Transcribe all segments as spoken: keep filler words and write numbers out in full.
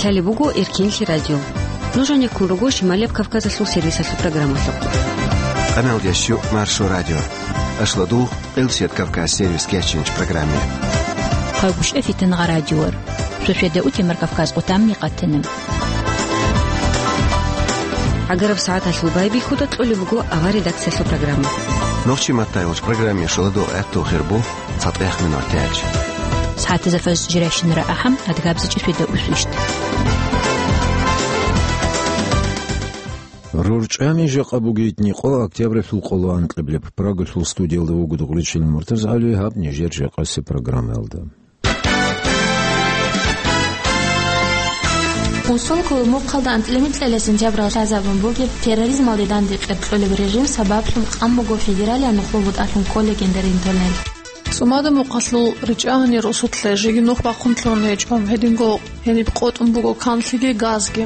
Лъалеб буго Эркенлъи радио. Нуж гьанеккун руго Шималияб Кавказалъул сервисалъул программалъухъ. Къаналдящу Маршо радио. Ашладу Къилсият Кавказ сервис кечинч программе. Хъагушев Фитнагъа радиор. Шошведа утемар Кавказ къутамни къатана. ГӀагараб сагӀаталъул байбихьуда кьолеб буго авар редакциялъул программа. Нохчи маттайолч программе шоладо гӀатту хирбу цатӀех минутач. СагӀатазда фаз жиращинара ахӀам, адгабзичӀи шведа усвищт. РорчӀами жакъа бугейтни къо октябралъул къоло анкьабилеб. Прагалъул студиялда вуго Дугъричил МуртазгӀали, гьаб нижер жакъаси программаялда. Унсул кколо мухъалда анцӀила микьила сентябралда лъазабун бугеб терроризмалде данде кьеркьолеб режим сабаблъун къан буго федералияб нухул бутӀалъун кколеб гендерин тоннел. ЦӀумада мухъалъул ричӀа гьанир росулъе жеги нух бахъун лъугьун гьечӀо, гьединго гьениб къотӀун буго канлъиги газги.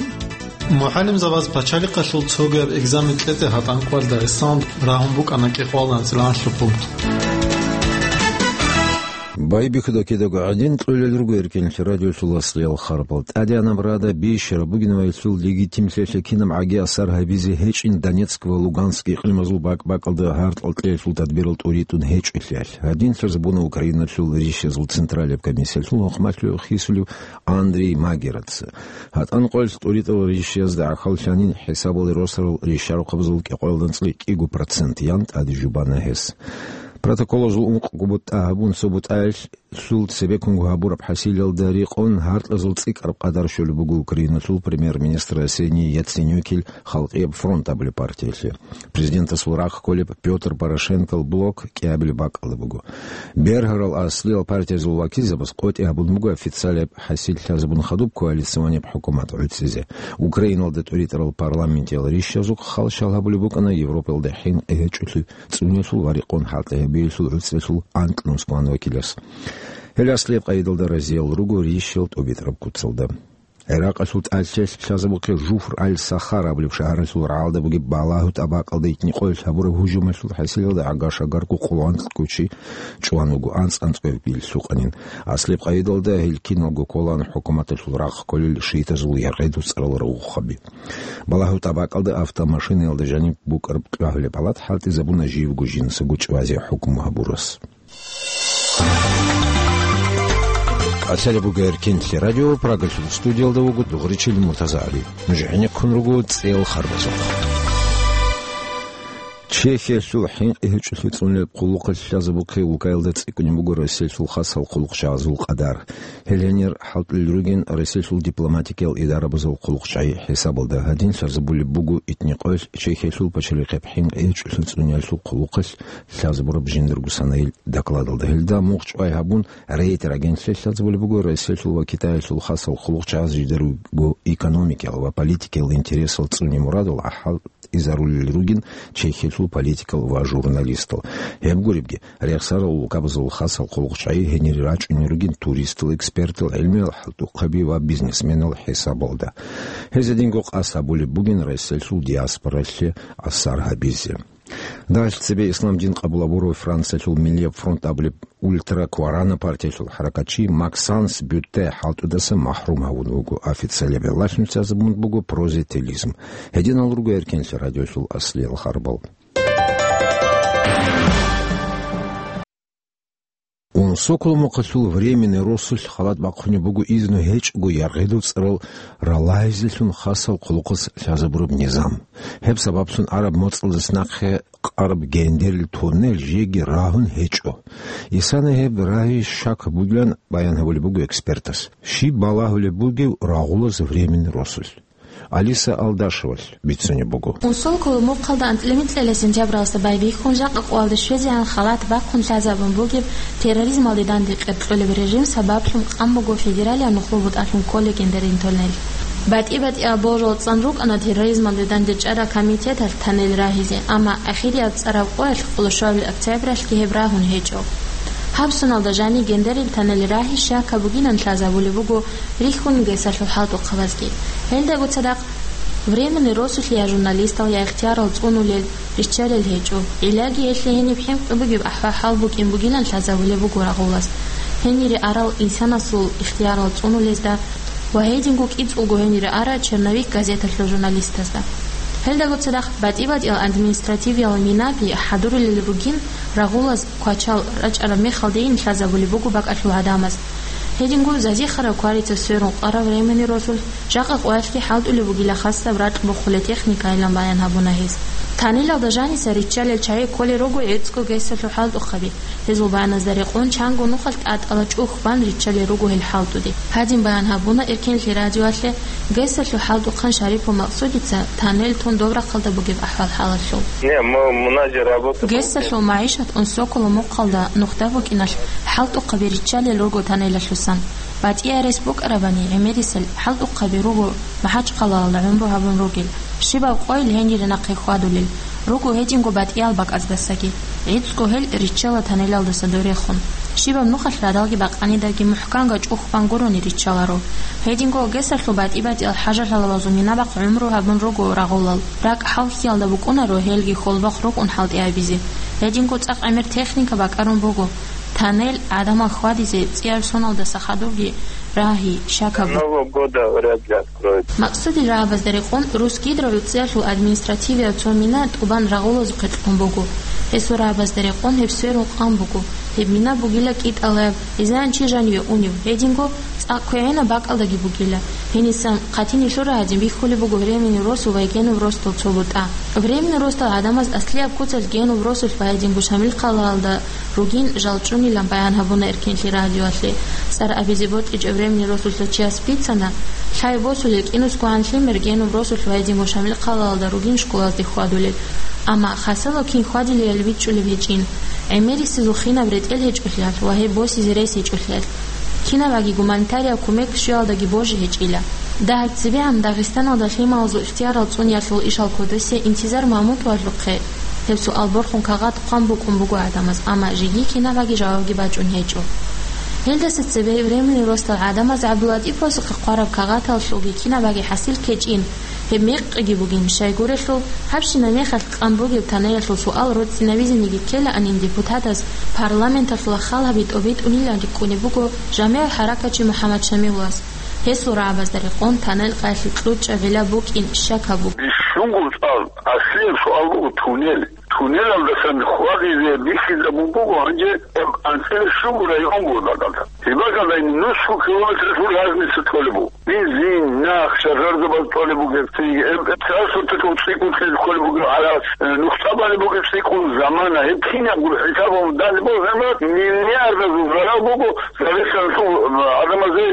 МугӀалимзабаз пачалихъалъул цогияб экзамен кьезе гьатӀан къварда эсалан рагьун букӀана кӀикъоялда анцӀила анлъго пункт. Байбихьуда кидаго гӀадин кьолел руго Эркенлъи радиолъул аслиял харбал. ТӀадегӀанаб рада бищараб бугин ва гьелъул легитимлъиялъе кинаб гӀаги асар гьабизе гьечӀин Донецк ва Луганск икълимазул бакӀ-бакӀалда гьаркьал кьеялъул тадбирал тӀуритӀун гьечӀолъиялъ. Гьадин лъазабуна Украиналъул рищазул Централияб комиссиялъул гьукъмалъулев хисулев Андрей Магераца. ГьатӀан къоялъ тӀуритӀарал рищаязда гӀахьаллъанин хӀисабалде росарал рищарахъабазул кӀикъоялда анцӀила кӀиго процент ян тӀаде жубана гьес. Протоколазул ункъго бутӀа гьабун, цо бутӀаялъул цебеккунго гьабураб хӀасилалда рекъон гьаркьазул цӀикӀкӀараб къадар щолеб буго Украиналъул премьер-министр Арсений Яценюкил Халкъияб фронт абулеб партиялъе. Президентасул рахъ кколеб Пётр Порошенкол блок кӀиабилеб бакӀалда буго. Бергьарал аслиял партиязул вакилзабаз къотӀи гьабун буго официалияб хӀасил лъазабун хадуб коалиционияб хӀукумат гӀуцӀизе. Украиналда тӀуритӀарал парламентиял рищазухъ халщал гьабулеб букӀана Европаялда хӀинкъи гьечӀолъи цӀунелъул ва рекъон хӀалтӀи гьабиялъул гӀуцӀралъул анкьнус кван вакилас. Гьел аслияб къайдалда разиял руго рищал тӀубитӀараб куцалда. ГӀиракъалъул тӀалъиялъ лъазабухъе Жуфр аль-Сахар абулеб шагьаралъул рагӀалда бугеб балагьу тӀабакъалда итни къоялъ гьабураб гьужумалъул хӀасилалда гӀага-шагарго къоло анкьго чи чӀван вуго, анцӀ-анцӀго гьеб лъукъанин. Аслияб къайдалда гьел киналго кколаан хӀукуматалъул рахъ кколел шиитазул яргъедул цӀарал рагъухъаби. Балагьу тӀабакъалда автомашинаялда жаниб букӀараб кьвагьулеб палат хӀалтӀизабуна живго жинсаго чӀвазе хӀукму гьабурас. Лъалеб буго Эркенлъи радио, Прагалъул студиялда вуго Дугъричил МуртазагӀали. Нуж гӀенеккун руго цӀел харбазухъ. Чехиялъул хӀинкъи гьечӀолъи цӀунулеб хъулухъалъ лъазабухъе улкаялда цӀикӀкӀунеб буго Россиялъул хасал хъулухъчагӀазул къадар. Гьел гьенир хӀалтӀулел ругин Россиялъул дипломатикиял идарабазул хъулухъчагӀи хӀисабалда. Гьадин лъазабулеб буго итни къоялъ Чехиялъул пачалихъеб хӀинкъи гьечӀолъи цӀуниялъул хъулухъалъ лъазабураб жиндарго санайил докладалда. Гьелда мугъ чӀвай гьабун, Рейтер агентствоялъ лъазабулеб буго, Россиялъул ва Китаялъул хасал хъулухъчагӀаз жидерго экономикиял ва политикиял интересал цӀуне мурадал гӀахӀал изарулел ругин Чехиялъул политикал ва журналистал. Гьеб гуребги, рехсарал улкабазул хасал хъулухъчагӀи гьенире рачӀунел ругин туристал, экспертал, гӀелмиял хӀалтӀухъаби ва бизнесменал хӀисабалда. Гьез гьединго къасд гьабулеб бугин Россиялъул диаспоралъе асар гьабизе. Дагьалъ цебе ислам дин къабул гьабурав Франциялъул Миллияб фронт абулеб ультракварана партиялъул хӀаракатчи Максанс Бютте хӀалтӀудаса махӀрум гьавун вуго. Официалияб гӀиллалъун лъазабун буго прозелитизм. Гьединал руго Эркенлъи радиолъул аслиял харбал. Унсоколо мухъалъул временный росулъ халат бахъунеб буго изну гьечӀого яргъедул цӀарал ралайзелъун хасал хъулухъас лъазабураб низам. Гьеб сабаблъун араб моцӀалдас нахъе къараб гендерил тоннел жеги рагьун гьечӀо. Исана гьеб рагьи щак бугилан баян гьабулеб буго экспертас. Щиб балагьулеб бугеб рагъулас временный росулъ? Алиса Алдашевалъ бицунеб буго. Унсоколо мухъалда анцӀила микьила сентябралда байбихьун жакъа къоялда щвезегӀан халат бахъун лъазабун бугеб терроризмалде данде кьеркьолеб режим сабаблъун къан буго федералияб нухул бутӀалъун кколеб гендерин тоннел. БатӀи-батӀияб божал цӀан рукӀана терроризмалде данде чӀарал комитеталъ тоннел рагьизе, амма ахирияб цӀараб къоялъ, къоло щуабилеб октябралъги, гьеб рагьун гьечӀо. Гьаб соналда жаниб гендерил тоннел рагьи щакаб бугилан лъазабулеб буго рихьун гесалъул хӀалтӀухъабазги. Гьелдаго цадахъ временный росулъ я журналистал, я ихтиярал цӀунулел риччалел гьечӀо. Гьелъги гьелъие гьениб хӀинкъи бугеб ахӀвал-хӀал букӀин бугилан лъазабулеб буго рагъулас. Гьенире арал инсанасул ихтиярал цӀунулезда ва гьединго кӀицӀулго гьенире ара «Черновик» газеталъул журналистазда. Гьелдаго цадахъ батӀи-батӀиял административиял минаби хӀадурулел ругин, рагъулаз квачал рачӀараб мехалдейин лъазабулеб буго бакӀалъул гӀадамаз. Гьединго зазихъараб кварица сверун къараб временный росулъ жакъа къоялъги хӀалтӀулеб бугила хасаб ракь бухъулеб техникайилан баян гьабуна гьез. Танелалда жаниса риччалел чагӀи кколел руго гӀицӀго гесалъул хӀалтӀухъаби. Гьезул баяназда рекъон чанго нухалъ тӀатӀала чӀухь бан риччалел руго гьел хӀалтӀуде. Гьадин баян гьабуна Эркенлъи радиоялъе гесалъул хӀалтӀухъан Шарипов Максудица танел тун доб рахъалда бугеб ахӀвал-хӀалалъул. Не, мы, у нас же работа. Гесалъул магӀишат Унсокола мухъалда нухда букӀиналъ хӀалтӀухъаби риччалел руго танелалъусан. БатӀияб рес букӀарабани, гӀемерисел хӀалтӀухъаби руго МахӀачхъалаялда гӀумру гьабун ругел. Щибаб къойил гьенире нахъе хьвадулел руго гьединго батӀиял бакӀаздасаги. ГӀицӀго гьел риччала танелалдаса дорехун. Щибаб нухалъ радалги бакъанидаги мухӀканго чӀухь бан гурони риччаларо. Гьединго гесалъул батӀи-батӀиял хӀажалъалабазул минабахъ гӀумру гьабун руго рагъулал. РакӀ хӀалхьиялда букӀунаро гьелги хьолбахъ рукӀун хӀалтӀи гьабизе. Гьединго цӀакъ гӀемер техника бакӀарун буго. Танел гӀадамал хьвадизе цӀияб соналдаса хадубги рагьи, щакаб. Нового года вряд ли откроют. Максудил рагӀабазда рекъон Русгидро гӀуцӀиялъул административияв цо мина тӀубан рагъулазухъе кьун буго. Гьесул рагӀабазда рекъон гьеб сверун къан буго. Гьеб мина бугила кӀитӀалаб, изан чи жаниве унев, гьединго цӀакъ квегӀинаб бакӀалдаги бугила. Гьенисан хъатинилъура гьадин бихьулеб буго временный росу ва генуб росдал цо бутӀа. Временный росдал гӀадамаз аслияб куцалъ генуб росулъ ва гьединго Шамилхъалаялда ругин жал чӀунилан баян гьабуна Эркенлъи радиоялъе. ЦӀар абизе бокьичӀеб временный росулъа чияс бицана, лъай босулел кӀинусгогӀан лъимер генуб росулъ ва гьединго Шамилхъалаялда ругин школазде хьвадулел. Амма хасало кин хьвадилел бичӀчӀулеб гьечӀин, гӀемерисезул хинаб ретӀел гьечӀолъиялъ ва гьеб босизе рес гьечӀолъиялъ. Кинабаги гуманитарияб кумек щвеялдаги божи гьечӀила. Дагь цебегӀан Дагъистаналда лъималазул ихтиярал цӀуниялъул ишал кодосе Интизар Мамутовалъухъе гьеб суал борхун кагъат хъван букӀун буго гӀадамаз, амма жеги кинабаги жавабги бачӀун гьечӀо. Гьелдаса цебе временный росдал гӀадамаз ГӀабдулатӀиповасухъе хъвараб кагъаталъулги кинабаги хӀасил ккечӀин, гьеб мекъиги бугин, щайгурелъул гьабщина мехалъ къан бугеб танелалъул суал роцӀцӀинабизениги ккелаанин депутатас парламенталъула хал гьаби тӀобитӀунилан рикӀкӀунеб буго жамигӀ хӀаракатчи МухӀаммад Шамилас. Гьесул рагӀабазда рекъон танел къаялъе кьучӀаб гӀилла букӀин щакаб буго. Бищунго цӀар, аслияб суал буго тунел. Тунелалдасан хьвадизе бихьизабун буго гьанже анцӀила щуго район буго дагъалда. Гьеб бакӀалда нусго километрлъул разница толеб буго. Бензин, нах, шажардабаз толеб бугеб, цинги, эм, транспорталъул цӀикӀкӀун лъел кколеб бугеб гӀарац, э, нухда балеб бугеб цӀикӀкӀун замана. Гьеб кинабго хӀисабалда данде босармат, миллиардазул зарал буго Дагъистаналъул, э, гӀадамазе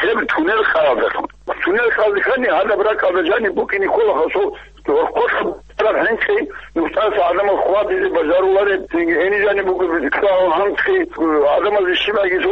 гьеб тунел хъаялдалъун. Тунел хъаялдехъани гьадаб ракӀалда жаниб букӀине ккола гьасул гьоркьоса бараб хӀинкъи, нухтаса гӀадамал хьвадизе бажарулареб, цинги гьениб жаниб бугеб исламал хӀинкъи, гӀадамазе щибаги цо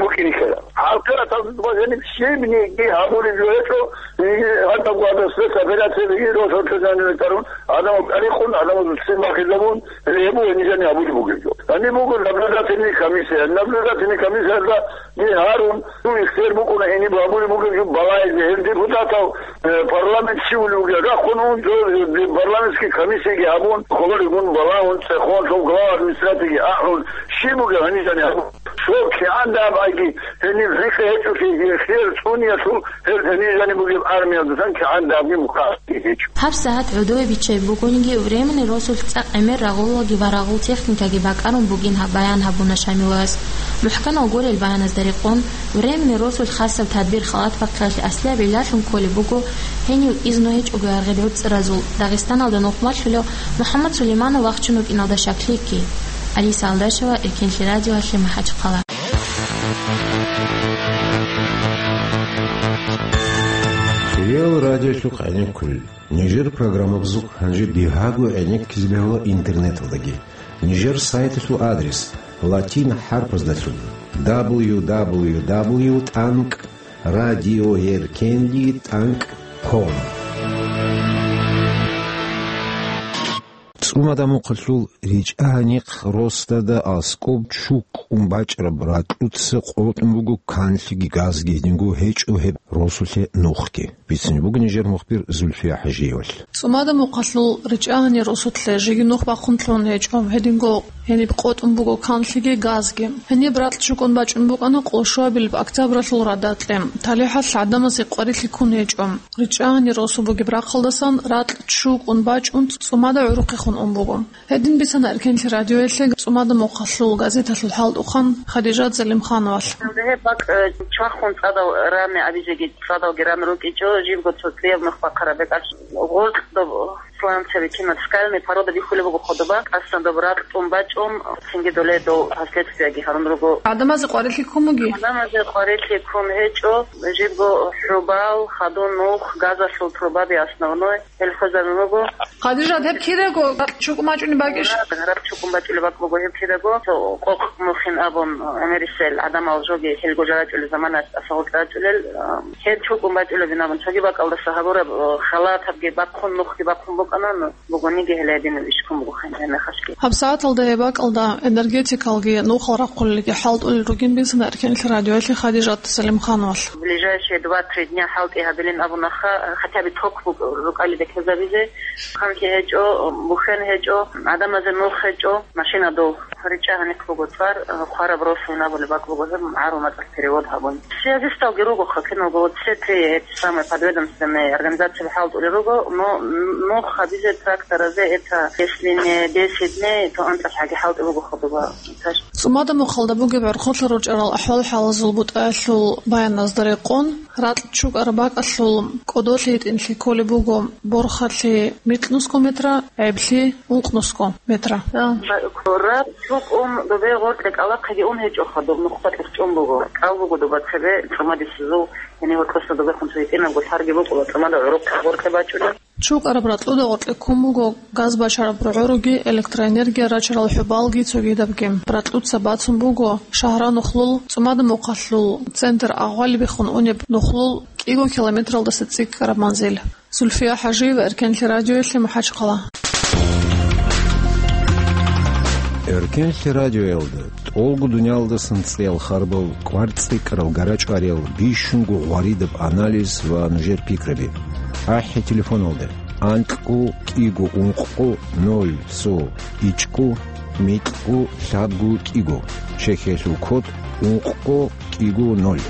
букӀине ккела. Гьалкъира тазубазениб щибниги гьабулеб жо гьечӀо, гьадаб гьадасда операция биги росулъа жаниве карун, гӀадамал тӀарихъун, гӀадамазул ццин бахизабун, гьеб буго гьениб жани гьабулеб бугеб жо. Гьаниб буго наблюдательный комиссия. Наблюдательный комиссиялда Гьарун, цо ихтияр букӀуна гьениб гьабулеб бугеб жо балагьизе, гьел депутатал, э, парламент щивулев вугев рахун ун, цо, э, парламентский комиссияги гьабун, хабаригун балагьун, цӀехун, цо глава администрацииги ахӀун, щиб бугеб гьаниб жани гьабун. Цо кигӀан дагьаб айги, гьениб рикӀкӀи гьечӀолъи ихтияр цӀуниялъул, гьел гьениб жани бугеб армиялдасан кигӀан дагьабги мухъа гьечӀо. Гьаб сагьат гӀодове биччай бугониги, временный росулъ цӀакъ гӀемер рагъулалги ва рагъул техникаги бакӀарун бугин гьаб баян гьабуна Шамилас. МухӀканал гурел баяназда рекъон, временный росулъ хасаб тадбир-халат бахъиялъе аслияб гӀиллалъун кколеб буго, гьенив изну гьечӀого аргъил гӀуцӀразул Дагъистаналда нухмалъулев МухӀаммад Сулейманов вахчун вукӀиналда щаклъи кки. Алиса Алдашева, Эркенлъи радиоялъе, МахӀачхъала. Реал радиолъухъ гӀенеккулел. Нижер программабазухъ гьанже бигьаго гӀенеккизе бегьула интернеталдаги. Нижер сайталъул адрес латин хӀарпаздалъун: дабл ю дабл ю дабл ю тӀанкӀ радиоэркенлъи тӀанкӀ ком. ЦӀумада-Мухъалъул РичӀа-гьанихъ росдада аскӀоб чукӀун бачӀараб ракьуца къотӀун буго канлъиги газги, гьединго гьечӀо гьеб росулъе нухги. Бицунеб буго нижер мухбир Зульфия ХӀажиевалъ. ЦӀумада-Мухъалъул РичӀа-гьани росулъе жеги нух бахъун лъугьун гьечӀо, гьединго гьениб къотӀун буго канлъиги газги. Гьениб ракь чукӀун бачӀун букӀана къоло щуабилеб октябралъул радакье. ТалихӀалъ гӀадамазе къварилъи ккун гьечӀо. РичӀа-гьани росу бугеб рахъалдасан ракь чукӀун бачӀун цӀумада гӀурухъехун ун буго. Гьедин бицана Эркенлъи радиоялъе ЦӀумада-Мухъалъул газеталъул хӀалтӀухъан Хадижат Залимхановалъ. Гьеб бакӀ, э, чвахун цӀадал рами абизеги, цӀадалги рами рукӀичӀо, жибго цо цӀияб нух бахъараб бекӀалъ гъоркь доб сланцаби кинаб скальный порода бихьулеб буго хадуба, тӀасан доб ракь тӀун бачӀун, цинги доле дов последствияги гьарун руго. ГӀадамазе къварилъи ккун буги? ГӀадамазе къварилъи ккун гьечӀо, жибго хӀубал, хадун нух, газалъул трубаби основной. Гьел хвезарун руго. Хадижат, гьеб кидаго ракь чукӀун бачӀунеб бакӀищ? Ракь чукӀун бачӀунеб бакӀ буго гьеб кидаго. Цо къокъ мухин абун, гӀемерисел гӀадамал жоги хӀелго жо рачӀулел заманаялъ тӀаса гъоркь рачӀулел, а, гьел чукӀун бачӀулебин абун цоги бакӀалдаса гьабураб, а, халатабги бахъун, нухги бахъун букӀана, ну, бугониги гьеле гьединаб иш ккун буго гьениб гьеб мехалъги. ГьабсагӀаталда гьеб бакӀалда энергетикалги нухал рахъулелги хӀалтӀулел ругин бицана Эркенлъи радиоялъе Хадижат Салимхановалъ. Ближайшие два-три дня хӀалтӀи гьабилин абунаха, хотя бы ток бу-, рукӀалида ккезабизе. Ханлъи гьечӀо, бухьен гьечӀо, гӀадамазе нух гьечӀо, машина дов. РичӀа-гьанихъ буго цӀар, хвараб росулин абулеб бакӀ буго гьеб гӀару мацӀалъ перевод гьабун. Связисталги руго хъа киналго, вот все три эти самые подведомственные организации хӀалтӀулел руго, но нух гьабизе тракторазе это, если не десять дней, то анцӀалъ гьаги хӀалтӀи буго хадуба. ЦӀумада-Мухъалда бугеб гӀурхъулъа ручӀарал ахӀвал-хӀалазул бутӀаялъул баяназда рекъон, ракь чукӀараб бакӀалъул кӀодолъи гьитӀинлъи кколеб буго борхалъи микьнусго метра, гӀеблъи ункънусго метра. Ракь чукӀун добе гъоркье кӀалахъеги ун гьечӀоха, доб нухда кьурчӀун буго. КӀал буго доба цебе цӀумадисезул, гьенив гьоркьоса добехун цо гьитӀинабго лъарги букӀула, цӀумада гӀурухъе гъоркье бачӀунеб. ЧукӀараб ракьуда гъоркье ккун буго газ бачараб рогӀоруги, электроэнергия рачарал хӀубалги цогидабги. Ракьуца бацун буго Шагьра-Нухлул, ЦӀумада-Мухъалъул центр агъвали биххун унеб Нухлул кӀиго километралдаса цӀикӀкӀараб манзил. Зульфия ХӀажиева, Эркенлъи радиоялъе, МахӀачхъала. Эркенлъи радиоялда тӀолго дуниялдасан цӀеял харбал, кӀвар цӀикӀкӀарал, гарачӀвариял, бищунго гъваридаб анализ ва нужер пикраби. АхӀи телефоналда: анкьго кӀиго ункъго ноль цо ичӀго микьго лъабго кӀиго, Чехиялъул код ункъго кӀиго ноль.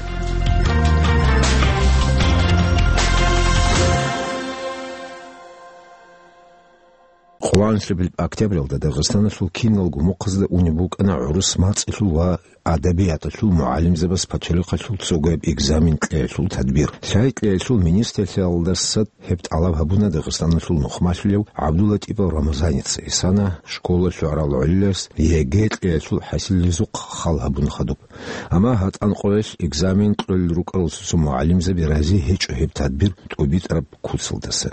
Къолоанлъабилеб октябралда Дагъистаналъул киналго мухъазда унеб букӀана гӀурус мацӀалъул ва адабияталъул мугӀалимзабаз пачалихъалъул цогояб экзамен кьеялъул тадбир. Лъай кьеялъул министрлъиялдаса гьеб тӀалаб гьабуна Дагъистаналъул нухмалъулев ГӀабдуллатӀипов Рамазаница. Гьесана школалъ гӀурал гӀолилас ЕГЭ кьеялъул хӀасилалъухъ хал гьабун хадуб. Амма ГьатӀан къоялъ экзамен кьолел рукӀарал цо-цо мугӀалимзаби рази гьечӀо гьеб тадбир тӀубитӀараб куцалдаса.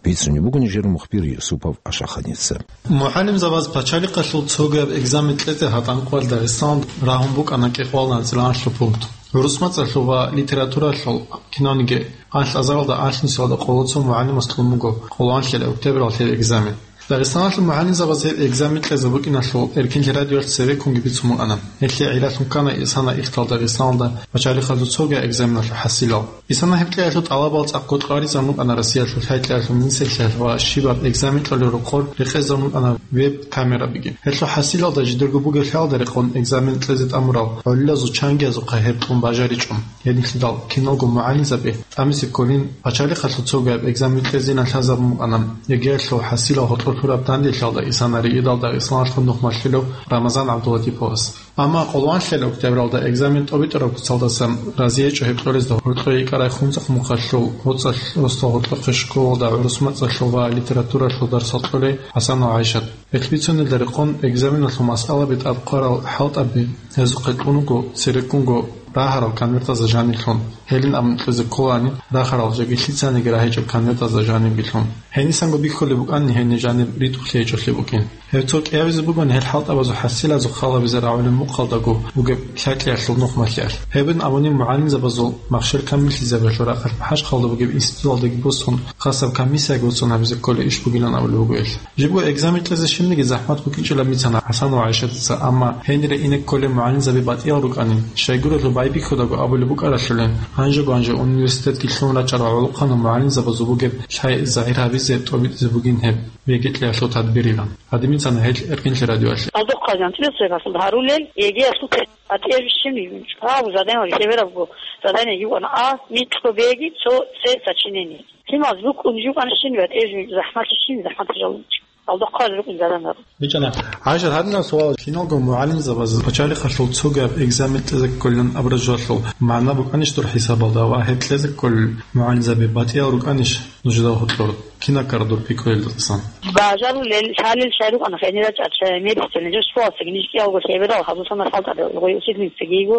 Бицунеб буго нижер мухбир Юсупов Ашаханица. МугӀалимзабаз пачалихъалъул цогояб экзамен кьезе ГьатӀан къоялъ Дагъистаналда рагьун букӀана кӀикъоялда анцӀила анлъго пункт. ГӀурус мацӀалъул ва литературалъул кинавниги анлъ азаралда анлънусиялда къоло цо мугӀалимас кьун буго къолоанлъабилеб октябралъул гьеб экзамен. Дагъистаналъул мугӀалимзабаз гьеб экзамен кьезе букӀиналъул Эркенлъи радиоялъ цебеккунги бицун букӀана. Гьелъие гӀиллалъун ккана исана ихтал Дагъистаналда пачалихъалъул цогояб экзаменалъул хӀасилал. Исана гьеб кьеялъул тӀалабал цӀакъго кьваризабун букӀана Россиялъул лъай кьеялъул министрлъиялъ ва щибаб экзамен кьолел рокъор рекъезабун букӀана веб-камерабиги. Гьелъул хӀасилалда жидерго бугеб лъалда рекъон экзамен кьезе тӀамурал гӀолилазул чангиязухъа гьеб кьун бажаричӀо. Гьединлъидал киналго мугӀалимзаби тӀамизе кколин пачалихъалъул цогояб экзамен кьезейилан лъазабун букӀана ЕГЭялъул хӀасилал гьоркьор лъураб данделъиялда исана риидал Дагъистаналъул нухмалъулев Рамазан ГӀабдуллатӀиповас. Амма къолоанлъабилеб октябралда экзамен тӀубитӀараб куцалдасан рази гьечӀо гьеб кьолезда гьоркьое йикӀарай Хунзахъ-Мухъалъул гъоцӀалъ росдал гьоркьохъеб школалда гӀурус мацӀалъул ва литературалъул дарсал кьолей ХӀасанов ГӀайшат. Гьелъ бицунелда рекъон экзаменалъул масъалаби тӀад хъварал хӀалтӀаби гьезухъе кьун буго цереккунго рагьарал конвертазда жанирлъун, гьелин абун кьезе кколаани рагьарал жеги лъицаниги рагьичӀеб конвертазда жанибгилъун. Гьенисанго бихьулеб букӀани гьениб жаниб ритӀухълъи гьечӀолъи букӀин. Гьеб цо кӀиабизе бугони гьел хӀалтӀабазул хӀасилазухъ халабизе рагӀулеб мухъалдаго бугеб лъай-кьеялъул нухмалъиялъ. Гьебин абунеб мугӀалимзабазул махщел камиллъизабиялъул рахъалъ МахӀачхъалда бугеб институталдеги босун, хасаб комиссияги уцӀцӀун гьабизе кколей иш бугилан абулеб буго гьелъ. Жибго экзамен кьезе щибниги захӀмат букӀинчӀилан бицана Гьасанов ГӀайшатица, амма гьенире ине кколей мугӀалимзаби батӀиял рукӀанин, щайгурелъул байбихьудаго абулеб букӀаралъулин, гьанжего-гьанже университетги лъун рачӀарал гӀолохъанал мугӀалимзабазул бугеб лъай загьир гьабизе тӀобитӀизе бугин гьеб. ВегетӀлъиялъул тадбирилан. Гьадинаб бицана гьел Эркинлъи радиоялъе. Алдохъа жанчилас рехалъул гьарулел ЕГЭ-ялъул тест. АтӀе бищун чӀвав заданиял хӀеберабго, задание юкъана А, микьго Б-ги, цо С сочинение. Лъималаз букӀун жукъана щин ва тӀежу захӀмалъи щин захӀмалъи жалунчи. Алдохъа рукъин заданиял. БичӀана. ГӀайшат, гьадинаб суал. Киналго мугӀалимзабаз пачалихъалъул цогаб экзамен кьезе кколилан абураб жоялъул магӀна букӀанищ дур хӀисабалда ва гьеб кьезе кколел мугӀалимзаби батӀиял рукӀанищ? Нужеда гьоркьор кинаб ккара дур пикруялдасан? Бажарулел, лъалел шай рукъана хӀенира чӀача, мерисел, нижер школасаги ниж кӀиялго лъеберал гьабусанал хӀалтӀарал, гъой учительницаги йиго,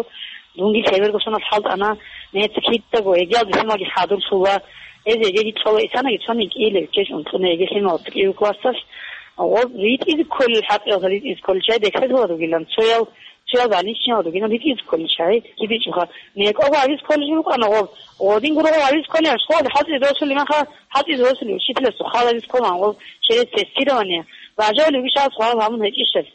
дунги лъеберго сонал хӀалтӀана, нецакиддаго, эгиал бихьимаги хӀадурлъула, эз эгеги цола исанаги цони кӀиилев ккеш унтӀуна эге лъималас кӀиев классалъ, гъоб ритӀизе кколел хӀакъиялда ритӀизе кколел чай дехъезабад ругилан, цоял Чиял больничный гьоркьоб ритӀизе кколел чагӀи кибичӀоха. НекӀого гьабизе кколел рукӀана гъоб. Гъодин гурого гьабизе кколел школалде хӀалтӀизе досулеб маха, хӀалтӀизе досулеб учителасул хал гьабизе кколан гъоб через тестирование. Бажавулев вугищ гьаб суал гьабун гьечӀищали?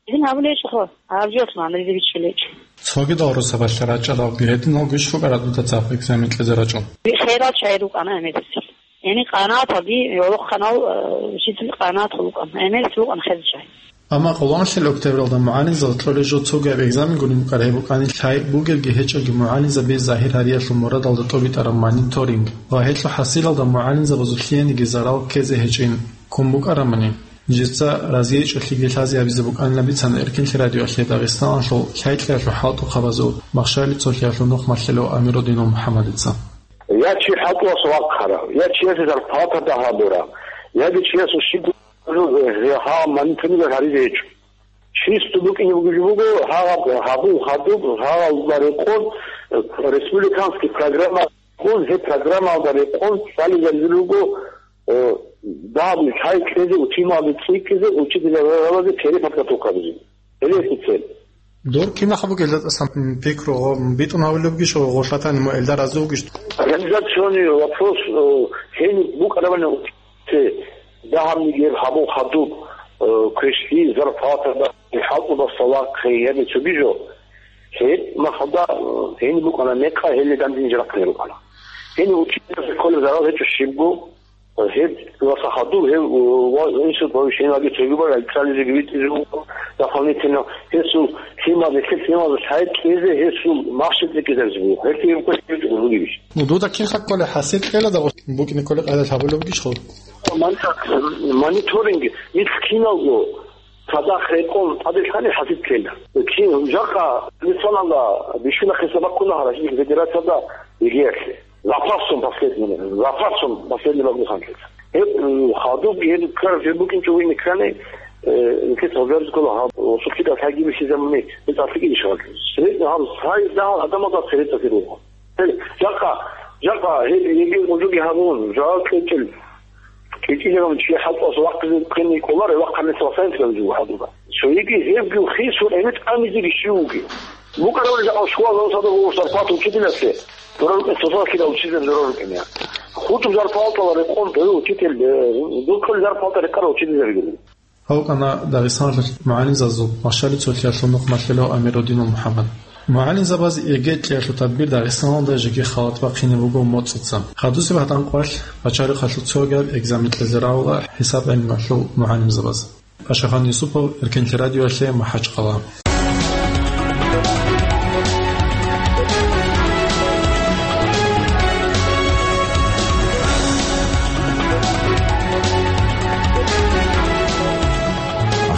Гьедин гьабулеб гьечӀоха, гьаб жоялъ магӀна дида бичӀчӀулеб гьечӀо. Цоги дагьрусабалъа рачӀаралги гьединал гуш букӀараб дуда цӀакъ экзамен кьезе рачӀун. Херал чагӀи рукӀана гӀемерисел. Яни къанагӀаталги гӀолохъанал, э, учитель къанагӀатал рукӀана, гӀемерисел рукӀана хезачагӀи. Амма къолонлъи октябралда мугӀалимзал кьолеб жо цогаб экзамен гурин букӀараб гьеб букӀани, лъай бугелги гьечӀелги мугӀалимзаби загьир гьариялъул мурадалда тӀобитӀараб мониторинг ва гьелъул хӀасилалда мугӀалимзабазул лъиениги зарал ккезе гьечӀин ккун букӀарамани, нижеца разияйчӀолъиги лъазе гьабизе букӀанилан бицана Эркинлъи радиоялъе Дагъистаналъул лъай-кьеялъул хӀалтӀухъабазул Махщали цолъиялъул нухмалъулев Амирудинов МухӀаммадица. Я чи хӀалтӀуялъул вахъарав, я чиясе зарплата дагьабурав, яги чиясул щиб гьа мониторинг гьаризе гьечӀо. Чисто букӀине бугеб жо буго, гьагъаб гьабун хадуб, гьагъалда рекъон, э, республиканский программа ккун, гьеб программалда рекъон цӀализаризул руго, э, дагьаб лъай кьезе, утималде цӀикӀкӀизе, учитель гьабазе переподготовка гьабизе. Гьеле цел. Дур кинаха бугелда тӀасан пикру гъо-, битӀун гьавулеб бугищ, гъо-, гъолъатани мо элда рази вугищ? Организационный вопрос, э, гьениб букӀарабани, те, дагьабниги гьеб гьабун хадуб, э, квешлъи, зарплата, да, хӀалтӀудаса вахъе, яги цоги жо. Гьеб махалда, э, гьениб букӀана мекъа, гьеле данде ниж рахъине рукӀана. Гьениб учитель кколеб зарал гьечӀо щибго, Гьеб ва сахадул гьев, ва инсул повышениеги цогибал цализеги витӀизе вуго, дополнительно гьесул лъимал, гьесул лъимал лъай кьезе гьесул махщел цӀикӀкӀизаризе буго. Гьелъие гьеб квешлъи бугебищ? Ну, дуда кинха кколеб хӀасил кьела дагъу букӀине кколеб къайдалъ гьабулеб бугищ хъу? Мон-, мониторинг, нилъ киналго цадахъ рекъон тӀаде лъани хӀасил кьела. Кин, жакъа, мисалалда, бищунахъе сабахъуна гьараши федерацияда ЕГЭ-ялъе. Запасом последний, запасом последний багбуханлъи. Гьеб, м, хадуб, гьеб ккараб жо букӀинчӀо вугин ккани, э, инкес гьабизе ккола гьаб, осулъидал лъайги бихьизабуни, гьеб цӀакъ лъикӀизе щвал. Средний гьаб, цай дагьал адамалда средний руго. Гьеб, жакъа, жакъа, гьеб, гьеб гьужуги гьабун, жал кьечӀел, кьечӀилегӀан чи хӀалтӀуялъ вахъизе ккани кӀоларе, вахъанилъ васаинлъи гьабизе буго хадуба. Цоги гьебги хисун гӀенекь тӀамизеги щив вугев? БукӀарабали жакъа школа гьав садав гъов зарплата учителясе дора рукӀин, цоцазда кида учитель дора рукӀине. Хутуб зарплатала рекъон дой учитель, э, духъали зарплата рекъара учительзабигали. ГьавкӀана Дагъистаналъул мугӀалимзабазул Махщали цолъиялъул нухмалъулев Амирудинов МухӀаммад. МугӀалимзабаз ЕГЭ кьеялъул тадбир Дагъистаналда жеги халат бахъине буго моцӀица. Гьадусеб гьатӀанкъвалъ пачалихъалъул цогаб экзамен кьезе равула хӀисаб гӀелмуялъул мугӀалимзабаз. Пашахан Юсупов, Эркенлъи радиоялъе, МахӀачхъала.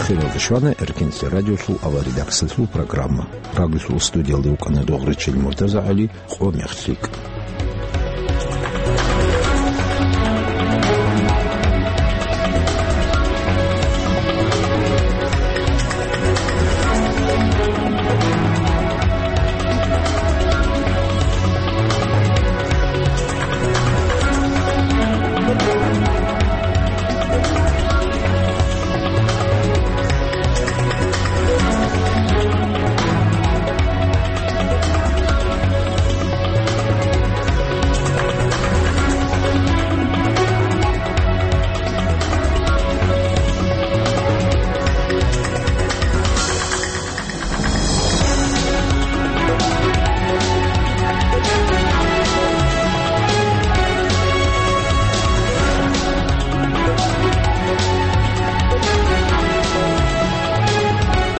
Ахиралда щвана Эркенлъи радиолъул аваридаксалъул программа. Радиолъул студиялда вукӀана Догърачил МуртазагӀали, къо мех лъикӀ.